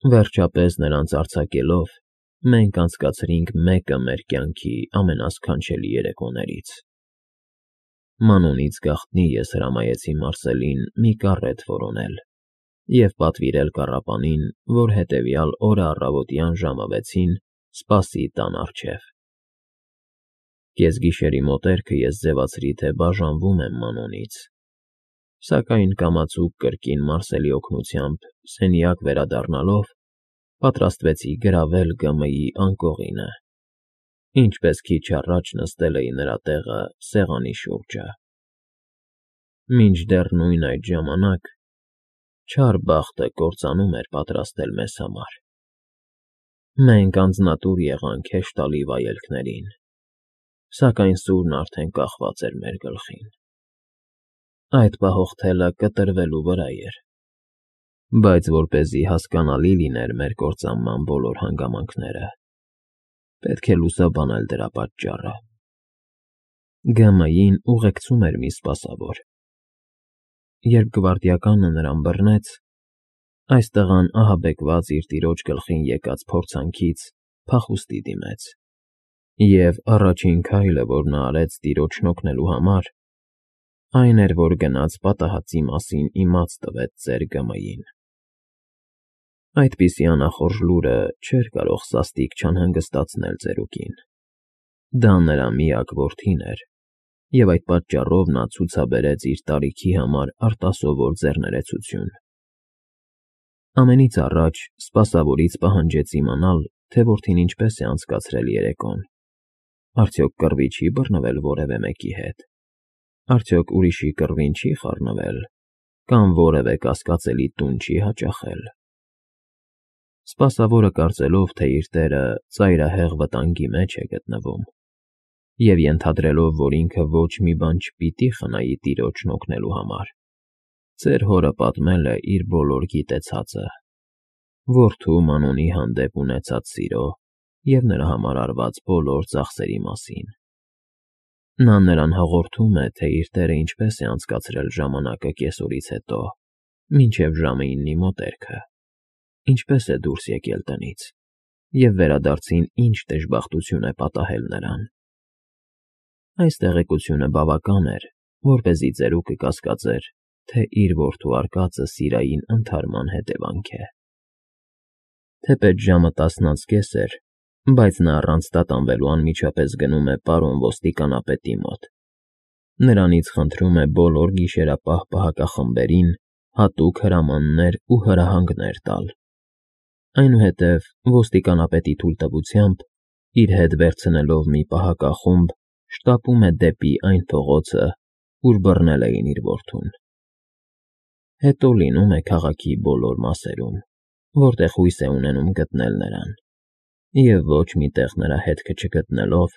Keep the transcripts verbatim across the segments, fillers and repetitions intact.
Վերջապես նրանց արձակելով՝ մենք անցկացրինք մեկը մեր կյանքի ամենասքանչելի երեկոներից։ Մանունից գաղտնի ես հրամայեցի Մարսելին մի կարետ որոնել և պատվիրել կառապանին, որ հետևյալ օրը առավոտյան ժամը վեցին սպասի տան առջև։ Կեսգիշերի մոտերքը ես ձևացրի, թե բաժանվում եմ Մանոնից, սակայն կամացուկ կրկին Մարսելի օգնությամբ սենյակ վերադառնալով պատրաստվեցի գրավել Գ.Մ.-ի անկողինը, ինչպես քիչ առաջ նստել էի նրա տեղը սեղանի շուրջը։ Մինչդեռ նույն այդ ժամանակ չար բախտը կործանում էր պատրաստել մեզ համար։ Մենք անձնատուր եղանք հեշտալի վայելքներին, սակայն սուրն արդեն կախված էր մեր գլխին։ Այդ պահող թելը կտրվելու վրա էր, բայց որպեսզի հասկանալի լիներ մեր կործանման բոլոր հանգամանքները, պետք է լուսաբանել դրա պատճառը։ Գ.Մ.-ին ուղեկցում էր մի սպասավոր։ Երբ գվարդիականը նրան բռնեց, այս տղան ահաբեկված իր տիրոջ գլխին եկած փորձանքից փախուստի դիմեց, և առաջին քայլը, որ նա արեց տիրոջն օգնելու համար, այն էր, որ գնաց պատահածի մասին իմաց տվեց ծեր Գ.Մ.-ին։ Այդպիսի անախորժ լուրը չէր կարող սաստիկ չանհանգստացնել ծերուկին։ Դա նրա միակ որդին էր, և այդ պատճառով նա ցուցաբերեց իր տարիքի համար արտասովոր ձեռներեցություն։ Ամենից առաջ սպասավորից պահանջեց իմանալ, թե որդին ինչպես է անցկացրել երեկոն, արդյոք կռվի չի բռնվել որևէ մեկի հետ, արդյոք ուրիշի կռվին չի խառնվել կամ որևէ կասկածելի տուն չի հաճախել։ Սպասավորը կարծելով, թե իր տերը ծայրահեղ վտանգի մեջ է գտնվում, և ենթադրելով, որ ինքը ոչ մի բան չպիտի խնայի տիրոջն օգնելու համար, ծեր հորը պատմել է իր բոլոր գիտեցածը, որդու Մանոնի հանդեպ ունեցած սիրո և նրա համար արված բոլոր ծախսերի մասին։ Նա նրան հաղորդում է, թե իր տերը ինչպես է անցկացրել ժամանակը կեսօրից հետո, մինչև ժամը իննի մոտերքը, ինչպես է դուրս եկել տնից և վերադարձին ինչ դժբախտություն է պատահել նրան։ Այս տեղեկությունը բավական էր, որպեսզի ծերուկը կասկածեր, թե իր որդու արկածը սիրային ընդհարման հետևանք է։ Թեպետ ժամը տասն անց կես էր, բայց նա առանց տատանվելու անմիջապես գնում է պարոն ոստիկանապետի մոտ, նրանից խնդրում է բոլոր գիշերապահ պահակախմբերին հատուկ հրամաններ ու հրահանգներ տալ, այնուհետև ոստիկանապետի թույլտվությամբ իր հետ վերցնելով մի պահակախումբ շտապում է դեպի այն փողոցը, ուր բռնել էին իր որդուն։ Հետո լինում է քաղաքի բոլոր մասերում, որտեղ հույս է ունենում գտնել նրան, և ոչ մի տեղ նրա հետքը չգտնելով,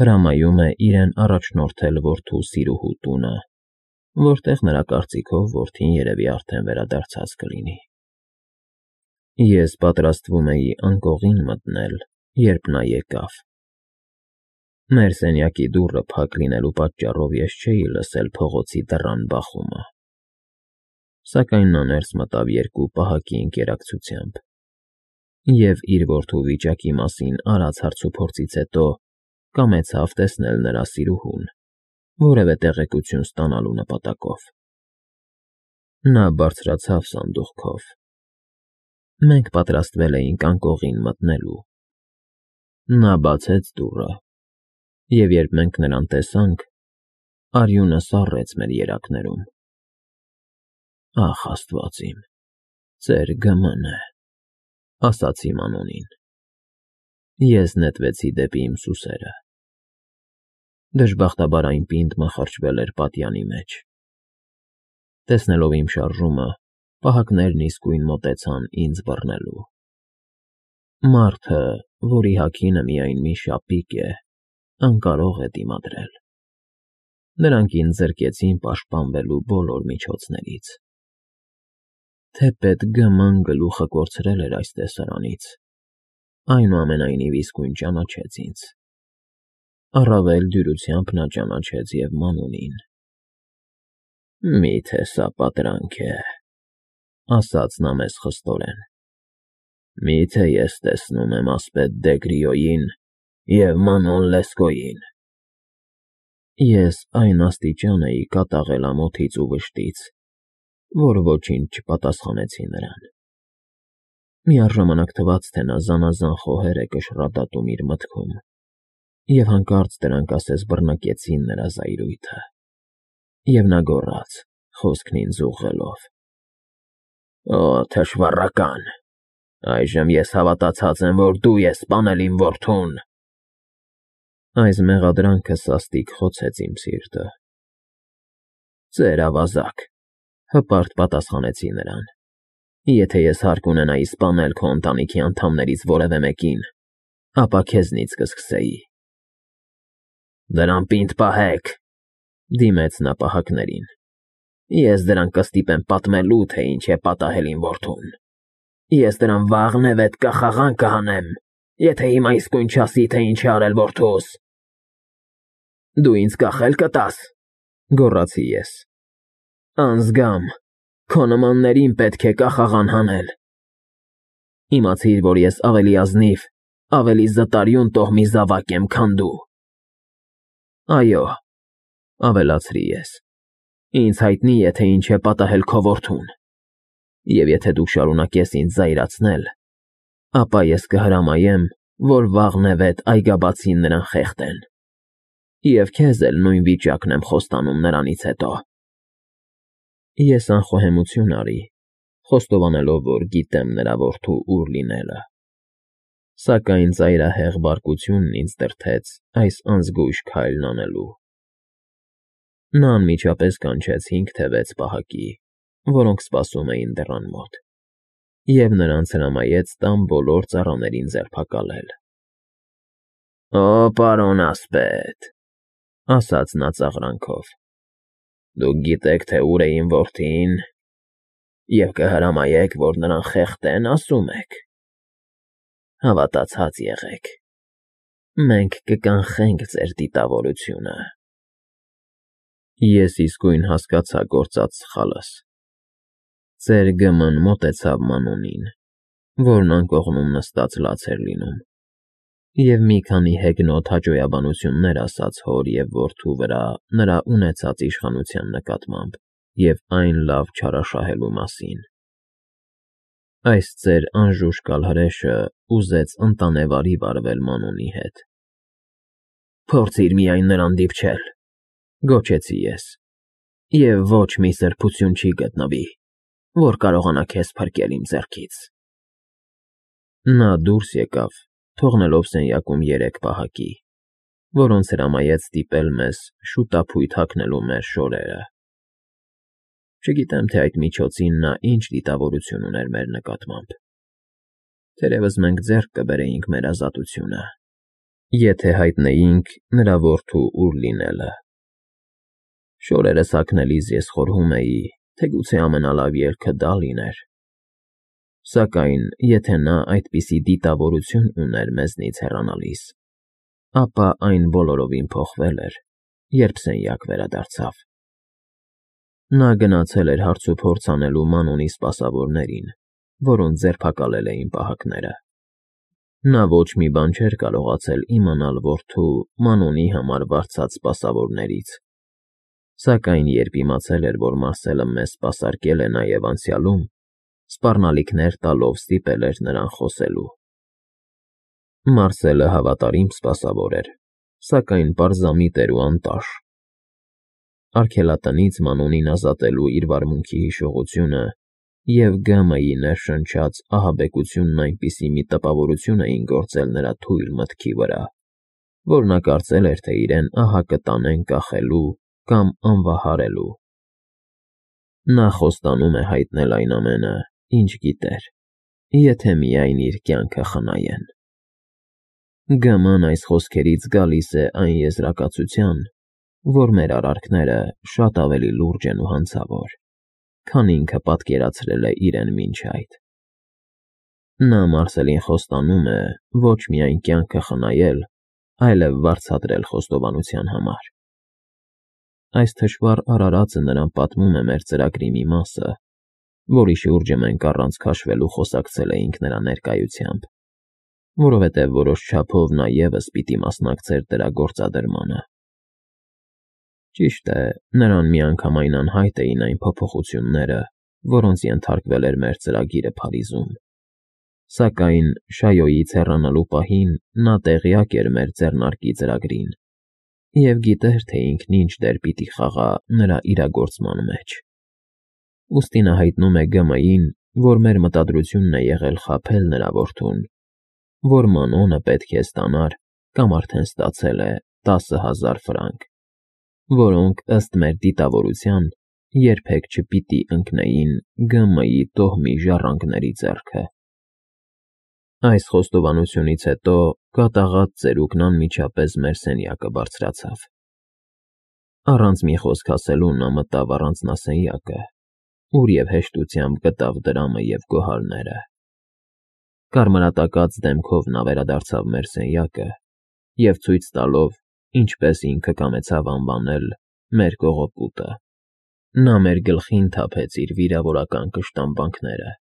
հրամայում է իրեն առաջնորդել որդու սիրուհու տունը, որտեղ նրա կարծիքով որդին երևի արդեն վերադարձած կլինի։ Ես պատրաստվում էի անկողին մտնել, երբ նա եկավ։ Մեր սենյակի դուռը փակ լինելու պատճառով ես չէի լսել փողոցի դռան բախումը, սակայն նա ներս մտավ երկու պահակի ընկերակցությամբ և, իր որդու վիճակի մասին արած հարցուփորձից հետո, կամեցավ տեսնել նրա սիրուհուն, որևէ տեղեկություն ստանալու նպատակով։ Նա բարձրացավ սանդուղքով։ Մենք պատրաստվել էինք անկողին մտնելու։ Նա բացեց դուռը, և երբ մենք նրան տեսանք, արյունը սառեց մեր երակներում։ Ախ, աստված իմ, ծեր Գ.Մ.ն է, ասացի Մանոնին։ Ես նետվեցի դեպի իմ սուսերը։ Դժբախտաբար այն պինդ մխրճվել էր պատյանի մեջ։ Տեսնելով իմ շարժումը, պահակներն իսկույն մոտեցան ինձ բռնելու։ Մարդը, որի հագինը միայն մի շապիկ է, անկարող է դիմադրել։ Նրանք ինձ զրկեցին պաշտպանվելու բոլոր միջոցներից։ Թեպետ Գ.Մ.-ն գլուխը կորցրել էր այս տեսարանից, այնուամենայնիվ իսկույն ճանաչեց ինձ։ Առավել դյուրությամբ նա ճանաչեց և Մանոնին։ «Մի՞թե սա պատրանք է,֊ ասաց նա մեզ խստորեն։ Միթե ես տեսնում եմ ասպետ Դեգրիոյին և Մանոն Լեսկոյին։ Ես այն աստիճան էի կատաղել ամոթից ու վշտից, որ ոչինչ չպատասխանեցի նրան։ Միառժամանակ թվաց, թե նա զանազան խոհեր է կշռադատում իր մտքում, և հանկարծ դրանք ասես բռնկեցին նրա զայրույթը, և նա գոռաց, խոսքն ինձ ուղղելով. «Օ թշվառական, այժմ ես հավատացած եմ, որ դու ես սպանել իմ որդուն»։ Այս մեղադրանքը սաստիկ խոցեց իմ սիրտը։ «Ծեր ավազակ,֊ հպարտ պատասխանեցի նրան,֊ եթե ես հարկ ունենայի սպանել քո ընտանիքի անդամներից որևէ մեկին, ապա քեզնից կսկսեի»։ «Դրան պինդ պահեք,֊ դիմեց նա պահակներին,֊ ես դրանք կստիպեմ պատմելու, թե ինչ է պատահել իմ որդուն։ Ես դրան վաղնևեթ կախաղան կհանեմ, եթե հիմա իսկույն չասի, թե ինչ է արել որդուս»։ «Դու ինձ կախել կտա՞ս,֊ գոռացի ես,֊ անզգամ, քո նմաններին պետք է կախաղան հանել։ Իմացիր, որ ես ավելի ազնիվ, ավելի զտարյուն տոհմի զավակ եմ, քան դու։ Այո,֊ ավելացրի ես,֊ ինձ հայտնի է, թե ինչ է պատահել քո որդուն, և եթե դու շարունակես ինձ զայրացնել, ապա ես կհրամայեմ, որ վաղնևեթ այգաբացին նրան խեղդեն, և քեզ էլ նույն վիճակն եմ խոստանում նրանից հետո»։ Ես անխոհեմություն արի, խոստովանելով, որ գիտեմ նրա որդու ուր լինելը, սակայն ծայրահեղ բարկությունն ինձ դրդեց այս անզգույշ քայլն անելու։ Նա անմիջապես կանչեց հինգ թե վեց պահակի, որոնք սպասում էին դռան մոտ, և նրանց հրամայեց տան բոլոր ծառաներին ձերբակալել։ «Օ պարոն ասպետ,֊ ասաց նա ծաղրանքով,֊ դուք գիտեք, թե ուր է իմ որդին, և կհրամայեք, որ նրան խեղդեն, ասում եք։ Հավատացած եղեք, մենք կկանխենք ձեր դիտավորությունը»։ Ես իսկույն հասկացա գործած սխալս։ Ծեր Գ.Մ.-ն մոտեցավ Մանոնին, որն անկողնում նստած լաց էր լինում, և մի քանի հեգնոտ հաճոյաբանություններ ասաց հոր և որդու վրա նրա ունեցած իշխանության նկատմամբ և այն լավ չարաշահելու մասին։ Այս ծեր անժուշկալ հրեշը ուզեց ընտանեվարի վարվել Մանոնի հետ։ «Փորձիր միայն նրան դիպչել,֊ գոչեցի ես,֊ և ոչ մի սրբություն չի գտնվի, որ կարողանա քեզ փրկել իմ ձեռքից»։ Նա դուրս եկավ, թողնելով սենյակում երեք պահակի, որոնց հրամայեց ստիպել մեզ շուտափույթ հագնելու մեր շորերը։ Չգիտեմ, թե այդ միջոցին նա ինչ դիտավորություն ուներ մեր նկատմամբ։ Թերևս մենք ձեռք կբերեինք մեր ազատությունը, եթե հայտնեինք նրա որդու ուր լինելը։ Շորերս հագնելիս ես խորհում էի, թե գուցե ամենալավ ելքը դա լիներ։ Սակայն եթե նա այդպիսի դիտավորություն ուներ մեզնից հեռանալիս, ապա այն բոլորովին փոխվել էր, երբ սենյակ վերադարձավ։ Նա գնացել էր հարցուփորձ անելու Մանոնի սպասավորներին, որոնց ձերբակալել էին պահակները։ Նա ոչ մի բան չէր կարողացել իմանալ որդու Մանոնի համար վարձած սպասավորներից, սակայն երբ իմացել էր, որ Մարսելը մեզ սպասարկել է նաև անցյալում, սպառնալիքներ տալով ստիպել էր նրան խոսելու։ Մարսելը հավատարիմ սպասավոր էր, սակայն պարզամիտ էր ու անտաշ։ Արգելատնից Մանոնին ազատելու իր վարմունքի հիշողությունը և Գ.Մ.-ի ներշնչած ահաբեկությունն այնպիսի մի տպավորություն էին գործել նրա թույլ մտքի վրա, որ նա կարծել էր, թե իրեն ահա կտանեն կախելու կամ անվահարելու։ Նա խոստանում է հայտնել այն ամենը, ինչ գիտեր, եթե միայն իր կյանքը խնայեն։ Գ.Մ.-ն այս խոսքերից գալիս է այն եզրակացության, որ մեր արարքները շատ ավելի լուրջ են ու հանցավոր, քան ինքը պատկերացրել է իրեն մինչ այդ։ Նա Մարսելին խոստանում է ոչ միայն կյանքը խնայել, այլև վարձատրել խոստովանության համար։ Այս թշվառ արարածը նրան պատմում է մեր ծրագրի մի մասը, որի շուրջը մենք առանց քաշվելու խոսակցել էինք նրա ներկայությամբ, որովհետև որոշ չափով նա ևս պիտի մասնակցեր դրա գործադրմանը։ Ճիշտ է, նրան միանգամայն անհայտ էին այն փոփոխությունները, որոնց ենթարկվել էր մեր ծրագիրը Փարիզում, սակայն Շայոյից հեռանալու պահին նա տեղյակ էր մեր ձեռնարկի ծրագրին և գիտեր, թե ինքն ինչ դեր պիտի խաղա նրա իրագործման մեջ։ Ուստի նա հայտնում է Գ Մ֊ին, որ մեր մտադրությունն է եղել խաբել նրա որդուն, որ Մանոնը պետք է ստանար կամ արդեն ստացել է տասը հազար ֆրանկ, որոնք, ըստ մեր դիտավորության, երբեք չպիտի ընկնեին Գ Մ֊ի տոհմի ժառանգների ձեռքը։ Այս խոստովանությունից հետո կատաղած ծերուկն անմիջապես մեր սենյակը բարձրացավ։ Առանց մի խոսք ասելու նա մտավ առանձնասենյակը, ուր և հեշտությամբ գտավ դրամը և գոհարները։ Կարմրատակած դեմքով նա վերադարձավ մեր սենյակը և ցույց տալով, ինչպես ինքը կամեցավ անվանել մեր կողոպուտը, նա մեր գլխին թափեց իր վիրավորական կշտամբանքները։